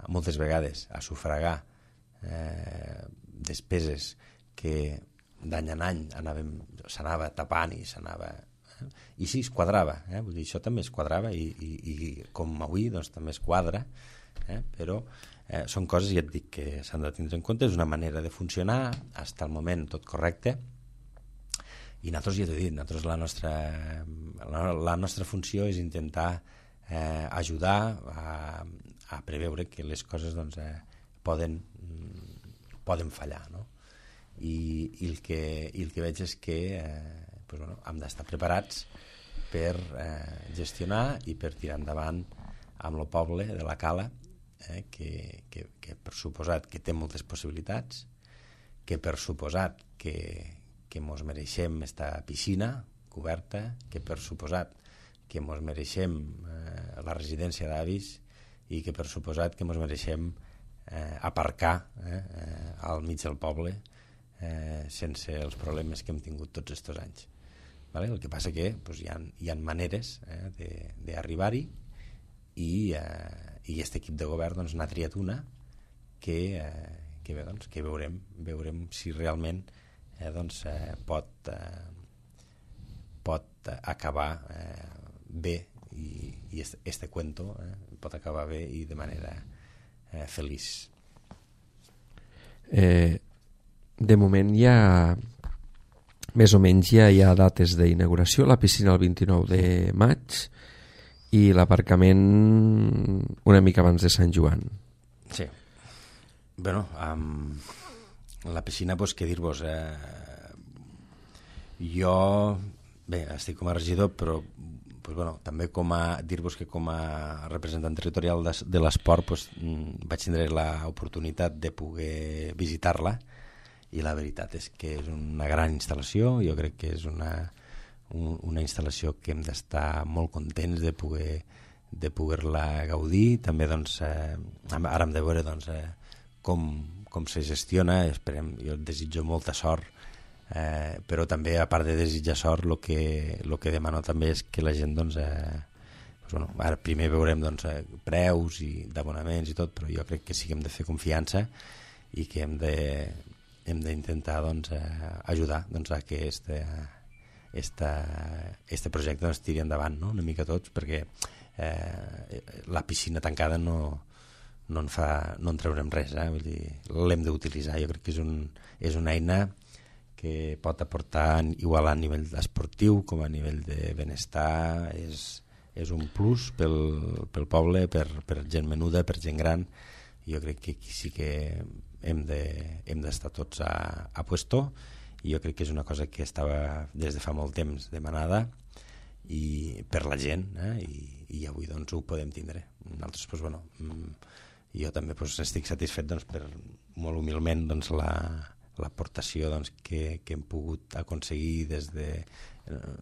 moltes vegades a sufragar despeses que d'any en any s'anava tapant i s'anava i sí, es quadrava, vull dir, això també es quadrava i com avui doncs, també es quadra, però són coses, ja et dic, que s'han de tindre en compte, és una manera de funcionar, fins al moment tot correcte, i nosaltres, ja t'ho he dit, nosaltres la nostra funció és intentar ajudar a preveure que les coses doncs, poden fallar, no? I el que veig és que pues, bueno, hem d'estar preparats per gestionar i per tirar endavant amb el poble de la Cala, que per suposat que té moltes possibilitats, que per suposat que mos mereixem esta piscina coberta, que per suposat que mos mereixem la residència d'avis i que per suposat que mos mereixem aparcar al mig del poble sense els problemes que hem tingut tots aquests anys. Vale? El que passa que pues, hi ha maneres d'arribar-hi i aquest equip de govern doncs, n'ha triat una que bé, doncs, que veurem si realment pot acabar bé i este cuento pot acabar bé i de manera feliç. De moment més o menys ja hi ha dates d'inauguració, la piscina el 29 de maig i l'aparcament una mica abans de Sant Joan. Sí. Bueno, la piscina, doncs, què dir-vos? Jo, bé, estic com a regidor, però pues, bueno, també dir-vos que com a representant territorial de l'esport vaig tindre l'oportunitat de poder visitar-la i la veritat és que és una gran instal·lació. Jo crec que és una instal·lació que hem d'estar molt contents de poder-la gaudir. També doncs, ara hem de veure doncs, com se gestiona. Jo desitjo molta sort, però també a part de desitjar sort el que demano també és que la gent doncs, bueno, ara primer veurem doncs, preus i d'abonaments i tot, però jo crec que sí que hem de fer confiança i que hem d'intentar doncs, ajudar doncs, a que este projecte doncs, tiri endavant, no? Una mica tots, perquè la piscina tancada no en traurem res, vull dir, l'hem d'utilitzar. Jo crec que és una eina que pot aportar igual a nivell esportiu com a nivell de benestar. És un plus pel poble, per gent menuda, per gent gran. Jo crec que aquí sí que hem d'estar tots a puesto, i jo crec que és una cosa que estava des de fa molt temps demanada i per la gent, i avui doncs ho podem tindre. Nosaltres, doncs, bueno, jo també doncs, estic satisfet doncs, per molt humilment doncs, l'aportació doncs, que hem pogut aconseguir des de,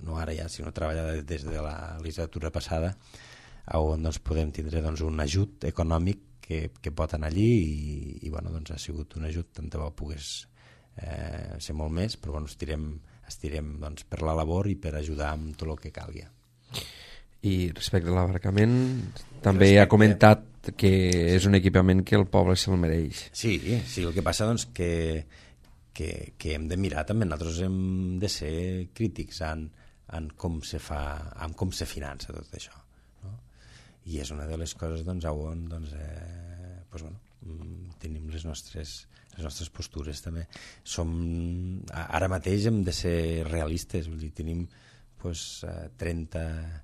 no ara ja, sinó treballar des de la legislatura passada, on doncs, podem tindre doncs, un ajut econòmic que pot anar allí i bueno, doncs, ha sigut un ajut, tant de bo pogués ser molt més, però bueno, estirem doncs, per la labor i per ajudar amb tot el que calgui. I respecte a l'aparcament, també ha comentat que és un equipament que el poble se'l mereix. Sí, el que passa doncs que hem de mirar també, nosaltres hem de ser crítics en com se fa, en com se finança tot això, no? I és una de les coses doncs, on doncs, bueno, tenim les nostres postures també. Ara mateix hem de ser realistes, vull dir, tenim doncs, 31,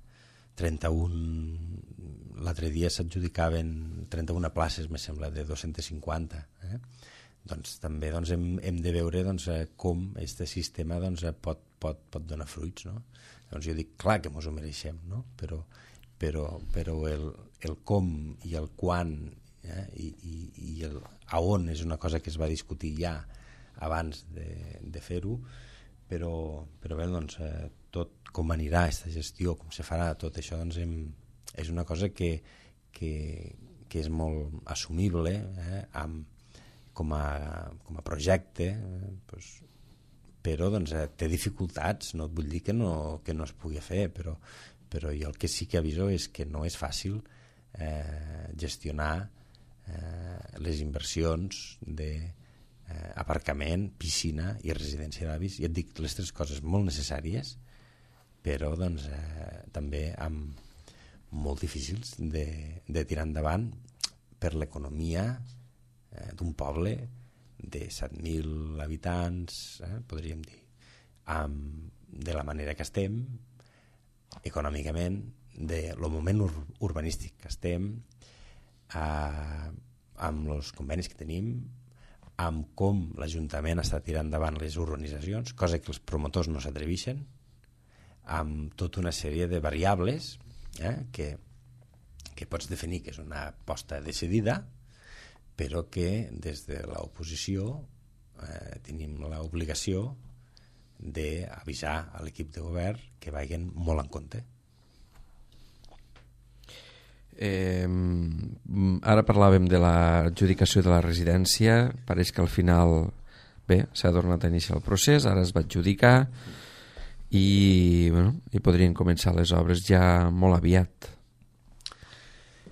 l'altre dia s'adjudicaven 31 places, me sembla, de 250, doncs també doncs, hem de veure doncs, com aquest sistema doncs, pot donar fruits, no? Doncs jo dic, clar que ens ho mereixem, no? Però el com i el quan i el a on és una cosa que es va discutir ja abans de fer-ho, però bé, doncs, tot com anirà aquesta gestió, com se farà tot això, doncs, és una cosa que és molt assumible com a projecte, doncs, però doncs, té dificultats. No et vull dir que no es pugui fer, però jo el que sí que aviso és que no és fàcil gestionar les inversions d'aparcament, piscina i residència d'avis. I et dic, les tres coses molt necessàries, però doncs, també molt difícils de tirar endavant per l'economia d'un poble de 7.000 habitants, podríem dir, de la manera que estem, econòmicament, del moment urbanístic que estem, amb els convenis que tenim, amb com l'Ajuntament està tirant endavant les urbanitzacions, cosa que els promotors no s'atreveixen, amb tota una sèrie de variables que pots definir que és una aposta decidida, però que des de l'oposició tenim l'obligació d'avisar a l'equip de govern que vagin molt en compte. Ara parlàvem de l'adjudicació de la residència. Pareix que al final s'ha tornat a iniciar el procés, ara es va adjudicar i podrien començar les obres ja molt aviat.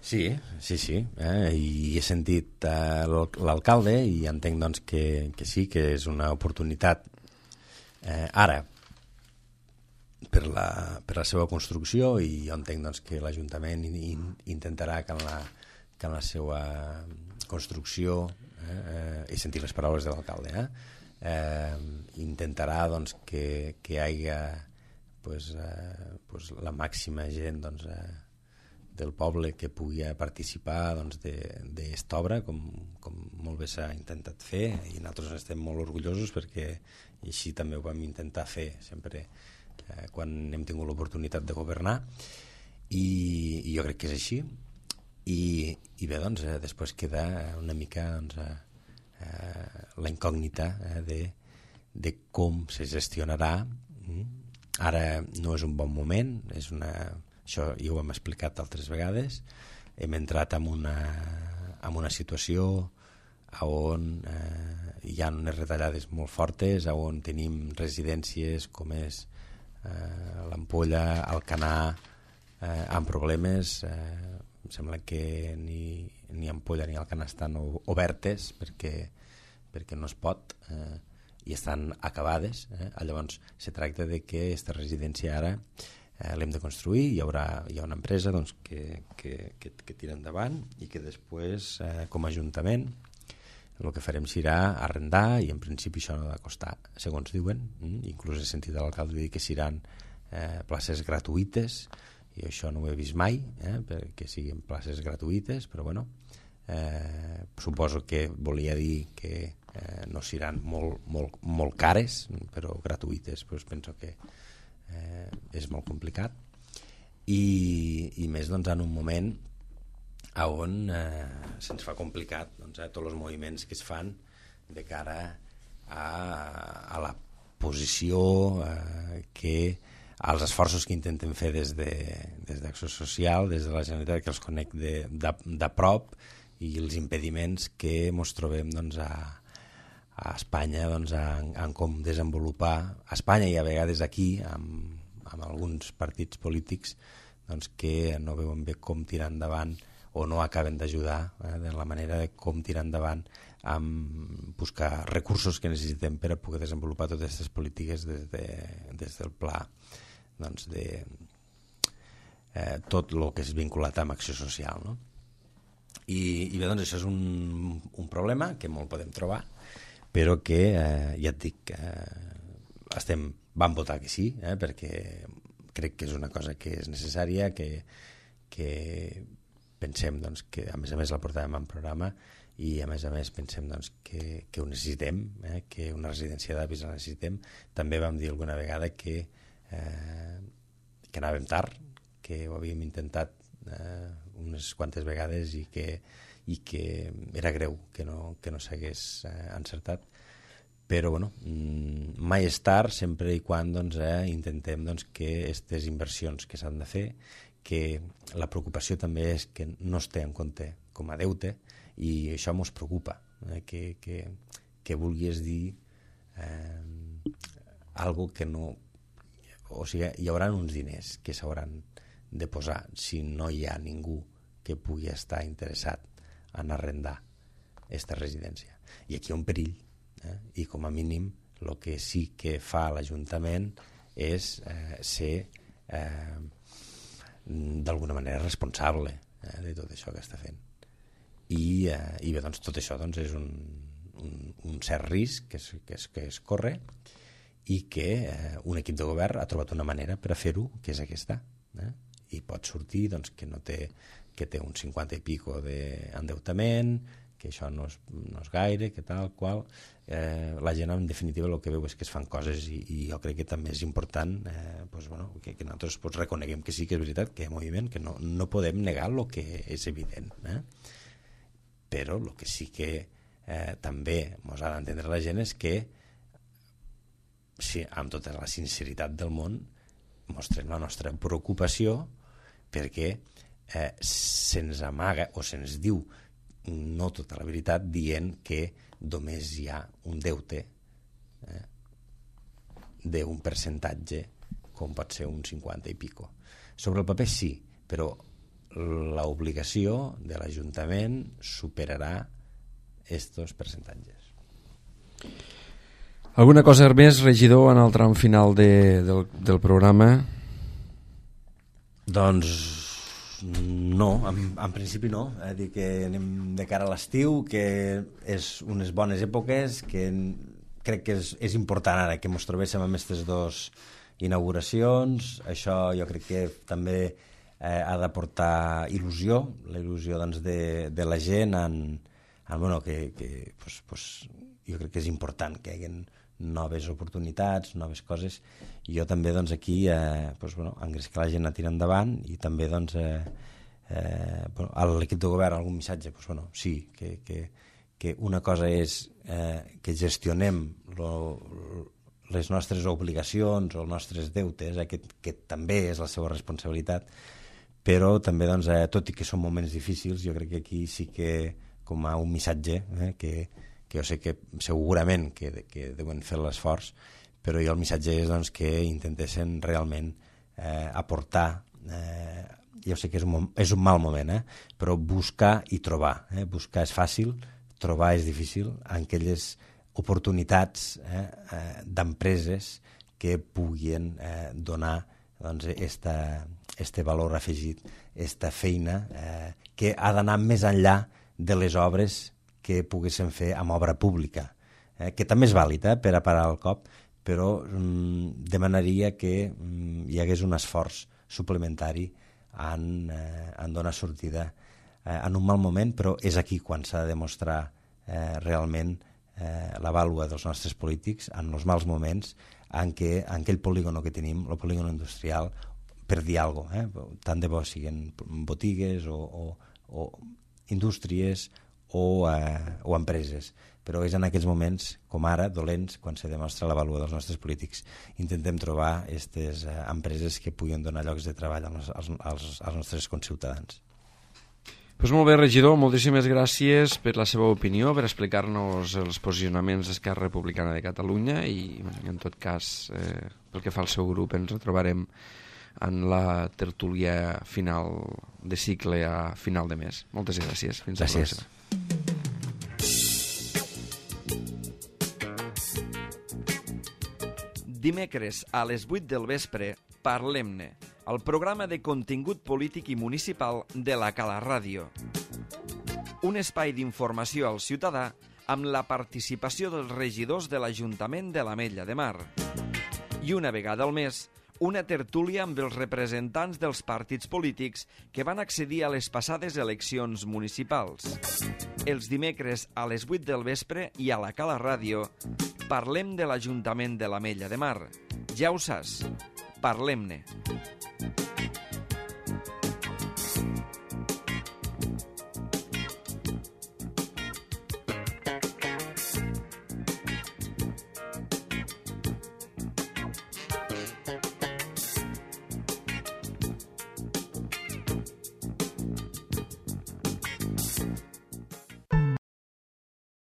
Sí. I he sentit l'alcalde i entenc doncs, que sí, que és una oportunitat ara per la seva construcció, i jo entenc doncs, que l'Ajuntament intentarà que en la seva construcció, he sentit les paraules de l'alcalde, intentarà doncs, que hi hagi la màxima gent doncs, del poble que pugui participar doncs, d'aquesta obra, com molt bé s'ha intentat fer, i nosaltres estem molt orgullosos perquè així també ho vam intentar fer sempre quan hem tingut l'oportunitat de governar, i jo crec que és així. I bé, doncs, després queda una mica doncs, la incògnita de com se gestionarà. Ara no és un bon moment, això ja ho hem explicat altres vegades. Hem entrat en una situació on hi ha unes retallades molt fortes, on tenim residències com és l'Ampolla, Alcanar, amb problemes. Em sembla que ni Ampolla ni Alcanar estan obertes perquè no es pot, i estan acabades. Llavors se tracta de que aquesta residència ara l'hem de construir, hi ha una empresa doncs, que tira endavant, i que després com a Ajuntament el que farem serà arrendar, i en principi això no ha de costar, segons diuen. Inclús he sentit a l'alcalde dir que seran places gratuïtes, i això no ho he vist mai, perquè siguin places gratuïtes, però bueno, suposo que volia dir que no seran molt cares, però gratuïtes, doncs penso que és molt complicat, i més doncs, en un moment on se'ns fa complicat doncs, tots els moviments que es fan de cara a la posició als esforços que intenten fer des d'Acció Social, des de la Generalitat, que els conec de prop, i els impediments que ens trobem doncs, a Espanya doncs, en com desenvolupar a Espanya, i a vegades aquí amb alguns partits polítics doncs, que no veuen bé com tirar endavant, o no acaben d'ajudar de la manera de com tirar endavant amb buscar recursos que necessitem per a poder desenvolupar totes aquestes polítiques des del pla doncs, de tot el que és vinculat amb acció social, no? I bé, doncs això és un problema que molt podem trobar, però que ja et dic, vam votar que sí, perquè crec que és una cosa que és necessària, que pensem doncs, que a més la portàvem en programa, i a més pensem doncs, que ho necessitem, que una residència d'avis la necessitem. També vam dir alguna vegada que anàvem tard, que ho havíem intentat unes quantes vegades, i que era greu que no s'hagués encertat, però bueno, mai és tard, sempre i quan doncs, intentem doncs, que aquestes inversions que s'han de fer, que la preocupació també és que no es té en compte com a deute, i això ens preocupa, que vulguis dir algo que no... O sigui, hi haurà uns diners que s'hauran de posar si no hi ha ningú que pugui estar interessat en arrendar aquesta residència. I aquí hi ha un perill, i com a mínim el que sí que fa l'Ajuntament és ser d'alguna manera responsable de tot això que està fent. I bé, doncs, tot això doncs, és un cert risc que es corre, i que un equip de govern ha trobat una manera per a fer-ho, que és aquesta. I pot sortir doncs, que té un 50 i pico d'endeutament, que això no és gaire, que tal qual. La gent, en definitiva, el que veu és que es fan coses, i jo crec que també és important que nosaltres reconeguem que sí que és veritat, que hi ha moviment, que no podem negar el que és evident. Però el que sí que també ens ha d'entendre la gent és que, sí, amb tota la sinceritat del món, mostrem la nostra preocupació perquè se'ns amaga o se'ns diu no tota la veritat, dient que només hi ha un deute d'un percentatge com pot ser un 50 i pico. Sobre el paper sí, però l'obligació de l'Ajuntament superarà estos percentatges. Alguna cosa més, regidor, en el tram final del programa? Doncs no, en principi no. Dir que anem de cara a l'estiu, que és unes bones èpoques, que crec que és important ara que ens trobéssim amb aquestes dues inauguracions. Això jo crec que també ha d'aportar il·lusió, la il·lusió doncs, de la gent bueno, que jo crec que és important que hi hagi noves oportunitats, noves coses, i jo també doncs, aquí bueno, engrescar la gent a tirar endavant, i també doncs, bueno, a l'equip de govern algun missatge, doncs, bueno, sí, que una cosa és que gestionem les nostres obligacions o els nostres deutes, que també és la seva responsabilitat, però també, doncs, tot i que són moments difícils, jo crec que aquí sí que com a un missatge que jo sé que segurament que deuen fer l'esforç, però jo el missatge és doncs, que intentessin realment aportar, jo sé que és un mal moment, però buscar i trobar. Buscar és fàcil, trobar és difícil, en aquelles oportunitats d'empreses que puguin donar doncs, este valor afegit, esta feina que ha d'anar més enllà de les obres que poguessin fer amb obra pública, que també és vàlid per a parar el cop, però demanaria que hi hagués un esforç suplementari en donar sortida en un mal moment, però és aquí quan s'ha de demostrar realment la vàlua dels nostres polítics en els mals moments en què en aquell polígono que tenim, el polígono industrial, per dir alguna cosa, tant de bo siguin botigues o indústries o empreses, però és en aquells moments, com ara, dolents, quan se demostra la vàlua dels nostres polítics. Intentem trobar aquestes empreses que puguin donar llocs de treball als nostres conciutadans. Pues molt bé, regidor, moltíssimes gràcies per la seva opinió, per explicar-nos els posicionaments d'Esquerra Republicana de Catalunya i, en tot cas, pel que fa al seu grup, ens retrobarem en la tertúlia final de cicle a final de mes. Moltes gràcies. Fins a la pròxima. Dimecres a les 8 del vespre, Parlem-ne, el programa de contingut polític i municipal de la Cala Ràdio. Un espai d'informació al ciutadà amb la participació dels regidors de l'Ajuntament de l'Ametlla de Mar. I una vegada al mes, una tertúlia amb els representants dels partits polítics que van accedir a les passades eleccions municipals. Els dimecres a les 8 del vespre i a la Cala Ràdio parlem de l'Ajuntament de l'Ametlla de Mar. Ja ho saps, parlem-ne.